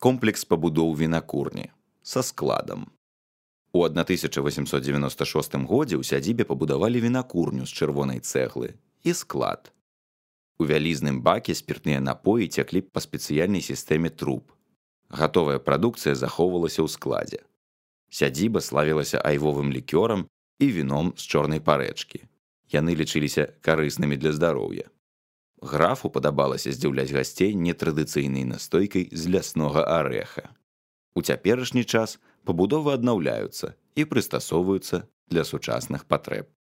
Комплекс пабудоў вінакурні са складам. У 1896 годзе ў сядзібе пабудавалі вінакурню з чырвонай цэглы і склад. У вялізным баке спіртныя напоі цяклі па спецыяльнай сістэме труб. Гатовая прадукцыя захоўвалася ў складзе. Сядзіба славілася айвовым лікёрам і віном з чорнай парэчкі. Яны лічыліся карыснымі для здароўя. Графу падабалася здзіўляць гасцей нетрадыцыйнай настойкай з ляснога арэха. У цяперашні час пабудовы аднаўляюцца і прыстасоўваюцца для сучасных патрэб.